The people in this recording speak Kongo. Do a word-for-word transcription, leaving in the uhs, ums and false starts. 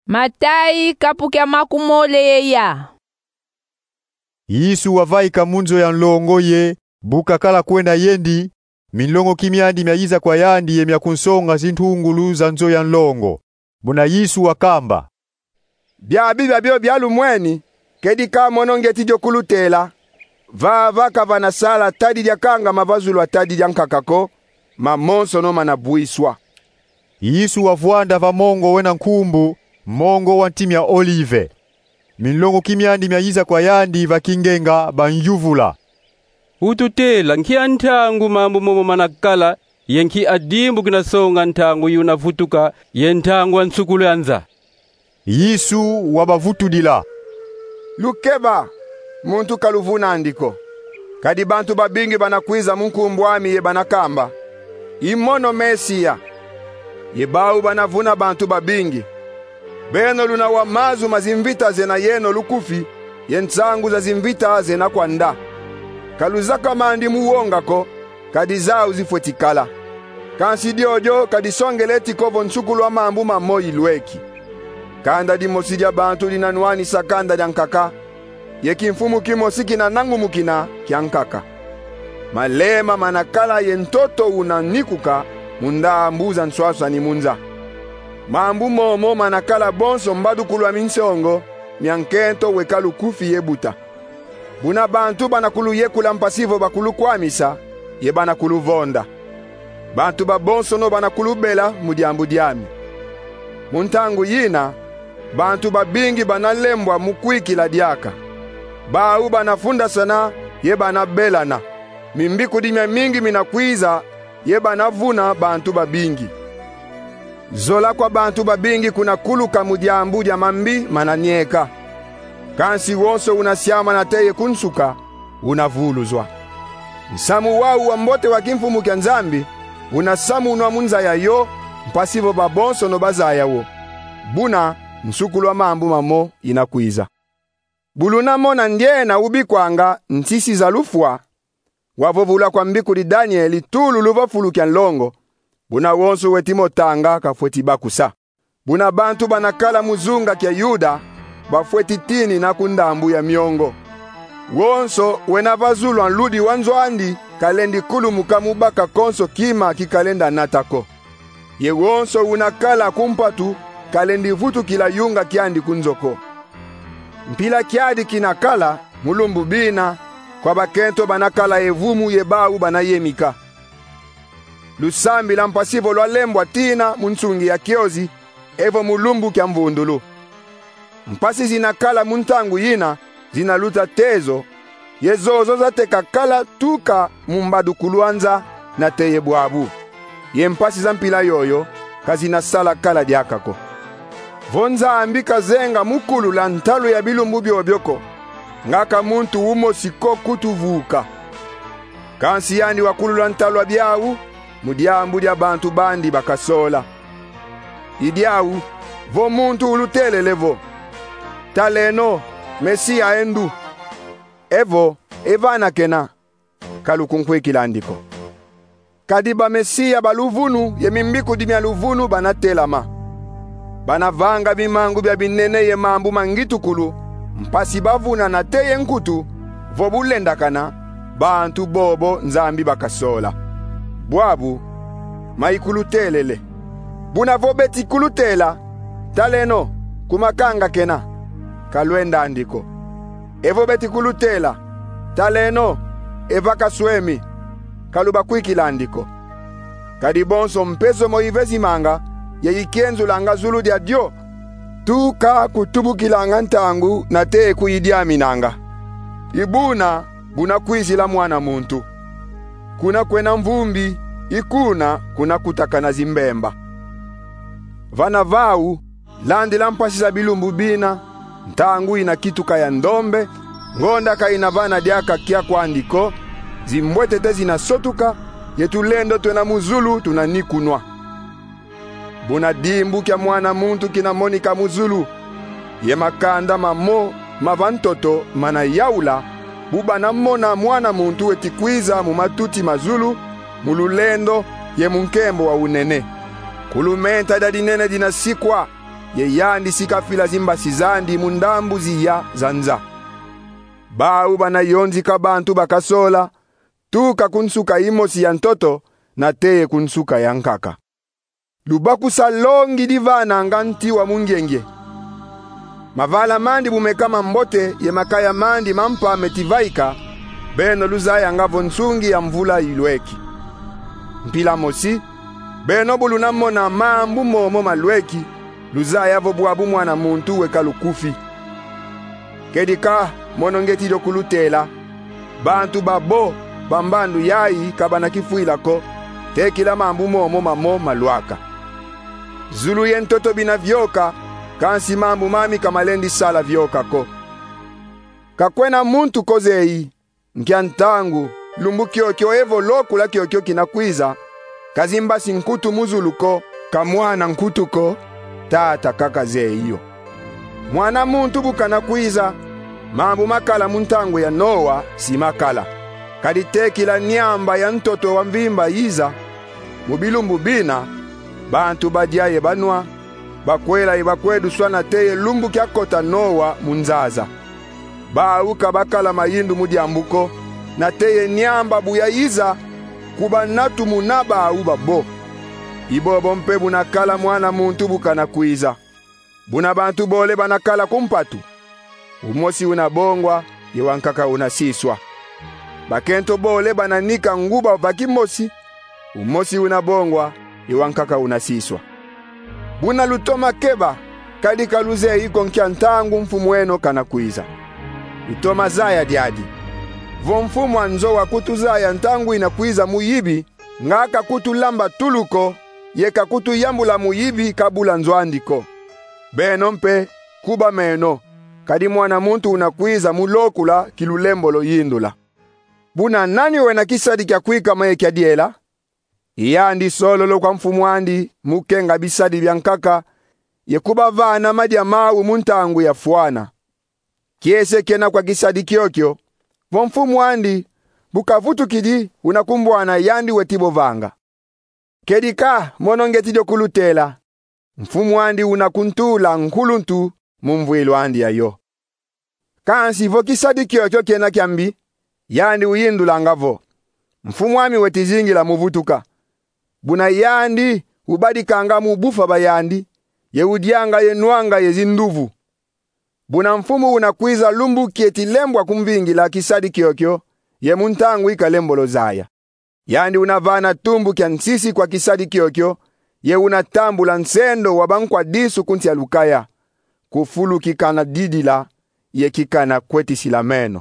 Matayi, kapu kia makumole ye ya. Yesu wavaika mu nzo ya nlongo ye bu kakala kwenda yendi, minlongoki miandi miayiza kwa yandi ye miakunsonga zintungulu za nzo ya nlongo. Buna Yesu wakamba: Biabi biabio bialumweni, kedi ka mono ngieti dio kulutela. Vava ka vana sala tadi diakangama va zulu a tadi diankaka ko, mamonsono manabwiswa. Yesu wavwanda va mongo wena nkumbu, mongo wa nti mia Olive. Minlongoki miandi miayiza kwa yandi va kingenga, banyuvula: Ututela nkia ntangu mambu momo manakala, ye nkia dimbu kinasonga ntangu yuna vutuka ye ntangu a nsukulu a nza? Yesu wabavutudila: Lukeba, muntu kaluvuna andi ko. Kadi bantu babingi banakwiza mu nkumbu ami ye banakamba: I mono Mesia. Ye bau banavuna bantu babingi. Beno luna wa mazu ma zimvita zena yeno lukufi, ye nsangu za zimvita zena kwa nda. Ka luzaka mandi mu wonga ko, kadi zau zifweti kala. Kansi diodio ka disongeleti ko vo nsukulu a mambu mamo ilweki. Kanda dimosi dia bantu dinanwanisa kanda diankaka, ye kimfumu kimosi kinanangumukina kiankaka. Malema manakala ye ntoto unanikuka mu ndambu za nswaswani mu nza. Mambu momo manakala bonso mbadukulu a minsongo mia nkento weka lukufi ye buta. Buna bantu banakuluyekula mpasi vo bakulukwamisa, ye banakuluvonda. Bantu babonsono banakulubela mu diambu diami. Mu ntangu yina, bantu babingi banalembwa mu kwikila diaka. Bau banafundasana ye banabelana. Mimbikudi miamingi minakwiza ye banavuna bantu babingi. Zola kwa bantu babingi kunakuluka mu diambu dia mambi mananieka. Kansi wonso unasiama nate ye ku nsuka, unavuluzwa. Nsamu wau wa mbote wa kimfumu kia Nzambi unasamunwa mu nza yayo, mpasi vo babonsono bazaya wo. Buna nsukulu a mambu mamo inakwiza. Bu lunamona ndiena ubikwanga nsisi za lufwa, wavovula kwa mbikudi Daniele tulu luva fulu kia nlongo, buna wonso weti mo tanga kafweti bakusa. Buna bantu banakala mu zunga kia Yuda bafweti tinina ku ndambu ya miongo. Wonso wena va zulu a nludi wa nzo andi kalendi kulumuka mu baka konso kima kikalenda nata ko. Ye wonso unakala ku mpatu kalendi vutukila yunga kiandi ku nzo ko. Mpila kiadi kinakala mu lumbu bina kwa bakento banakala ye vumu ye bau banayemika. Lusambila mpasi vo lwalembwa tina mu nsungi ya kiozi, evo mu lumbu kia mvundulu. Mpasi zinakala mu ntangu yina zinaluta tezo, ye zozo zateka kala tuka mu mbadukulu a nza nate ye bwabu. Ye mpasi za mpila yoyo ka zinasala kala diaka ko. Vo Nzambi kazenga mu kulula ntalu ya bilumbu biobio ko, nga ka muntu umosi ko kutu vuka. Kansi yandi wakulula ntalu a biau mu diambu dia bantu bandi bakasola. I diau, vo muntu ulutelele vo: Taleno, Mesia e ndu! Evo: E vana kena! Ka lukunkwikila andi ko. Kadi bamesia ba luvunu ye mimbikudi mia luvunu banatelama. Banavanga bimangu bia binene ye mambu ma ngitukulu, mpasi bavuna nate ye nkutu, vo bulendakana bantu bobo Nzambi bakasola. Bwabu, ma ikulutelele. Buna vo beti kulutela: Taleno, kumakanga kena! Ka lwenda andi ko. Evo beti kulutela: Taleno, e vaka swemi! Ka lubakwikila andi ko. Kadi bonso mpezo mo ivezimanga ye ikienzulanga zulu dia dio, tuka kutubukilanga ntangu nate kuidiaminanga. I buna bunakwizila Mwana muntu. Kuna kwena mvumbi, i kuna kunakutakana zimbemba. Vana vau, landila mpasi za bilumbu bina, ntangu inakituka ya ndombe, ngonda ka inavana diaka kia kwandi ko, zimbwetete zinasotuka, ye tulendo twena mu zulu tunanikunwa. Buna dimbu kia Mwana muntu kinamonika mu zulu, ye makanda mamo ma va ntoto manayaula, bu banamona Mwana muntu weti kwiza mu matuti ma zulu, mu lulendo ye mu nkembo wa unene. Kulumenta dia dinene dinasikwa, ye yandi si kafila zimbasi zandi mu ndambu ziya za nza. Bau bana yonzika bantu bakasola, tuka ku nsuka imosi ya ntoto, nate ye ku nsuka ya nkaka. Lubakusa longi divananga nti wa mungiengie. Mavala mandi bu meka mambote ye makaya mandi mampa meti vaika, beno luzayanga vo nsungi ya mvula ilweki. Mpila mosi, beno bu luna mona mambu momo malweki, luzaya vo bwabu Mwana muntu weka lukufi. Kedika, mono ngeti dio kulutela: bantu babo ba mbandu yayi ka bana kifwila ko, tekila mambu momo mamo malwaka. Zulu ye ntoto bina vyoka, kansi mambu mami ka malendi sala vyoka ko. Ka kwena muntu ko zeyi, nkia ntangu, lumbu kiokio evo lokula kiokio kina kwiza, ka zimbasi nkutu mu zulu ko, ka Mwana nkutu ko, Tata kaka zeyi yo. Mwana muntu bu kana kwiza, mambu makala mu ntangu ya Noa si makala. Kadi tekila Nyamba ya ntoto wa mvimba yiza, mu bilumbu bina, bantu badia ye banwa, bakwela ye bakwe duswa nate ye lumbu kiakota Noa mu nzaza. Bau ka bakala mayindu mu diambu ko, nate ye Nyamba bu yayiza, kuba natu muna bau babo. I bobo mpe bu nakala Mwana muntu bu kana kwiza. Buna bantu bole bana kala ku mpatu, umosi una bongwa, ye wankaka una siswa. Bakento bole bana nika nguba va kimosi, umosi una bongwa, ye wankaka una siswa. Buna lutoma keba, kadi ka luzeyi ko nkia ntangu Mfumu eno kana kwiza. Lutoma zaya diadi. Vo Mfumu a nzo wakutuzaya ntangu ina kwiza mu yibi, nga kakutulamba tulu ko, ye kakutuyambula mu yibi kabula nzo andi ko. Beno mpe, kuba meno, kadi Mwana muntu una kwiza mu lokula ki lulembolo yindula. Buna nani wena kisadi kia kwikama ye kia diela? I yandi sololo kwa mfumu andi mu kenga bisadi bia nkaka, ye kubavana madia mau mu ntangu ya fwana. Kiese kena kwa kisadi kiokio, vo mfumu andi bu kavutukidi, una kumbwana yandi weti bo vanga. Kedika, mono ngeti dio kulutela: mfumu andi una kuntula nkuluntu mu mvwilu andi yayo. Kansi vo kisadi kiokio kena kiambi, yandi uyindulanga vo: mfumu ami weti zingila mu vutuka. Buna yandi ubadikanga mu bufa ba yandi, ye udianga ye nwanga ye zinduvu. Buna mfumu una kwiza lumbu kieti lembwa kumvingila kisadi kiokio, ye mu ntangu i kalembolo zaya. Yandi una vana tumbu kia nsisi kwa kisadi kiokio, ye una tambula nsendo wa bankwa disu ku nsi a lukaya, ku fulu ki kana didila, ye ki kana kwetisila meno.